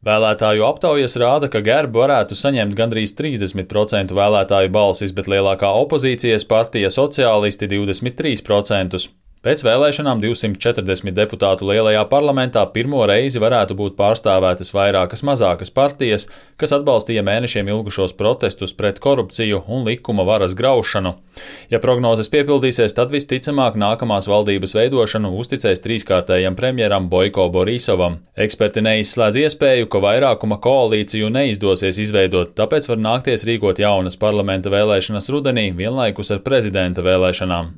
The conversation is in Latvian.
Vēlētāju aptaujas rāda, ka Gerba varētu saņemt gandrīz 30% vēlētāju balsis, bet lielākā opozīcijas partija Sociālisti 23%. Pēc vēlēšanām 240 deputātu lielajā parlamentā pirmo reizi varētu būt pārstāvētas vairākas mazākas partijas, kas atbalstīja mēnešiem ilgušos protestus pret korupciju un likuma varas graušanu. Ja prognozes piepildīsies, tad visticamāk nākamās valdības veidošanu uzticēs trīskārtējam premjeram Boiko Borisovam. Eksperti neizslēdz iespēju, ka vairākuma koalīciju neizdosies izveidot, tāpēc var nākties rīkot jaunas parlamenta vēlēšanas rudenī vienlaikus ar prezidenta vēlēšanām.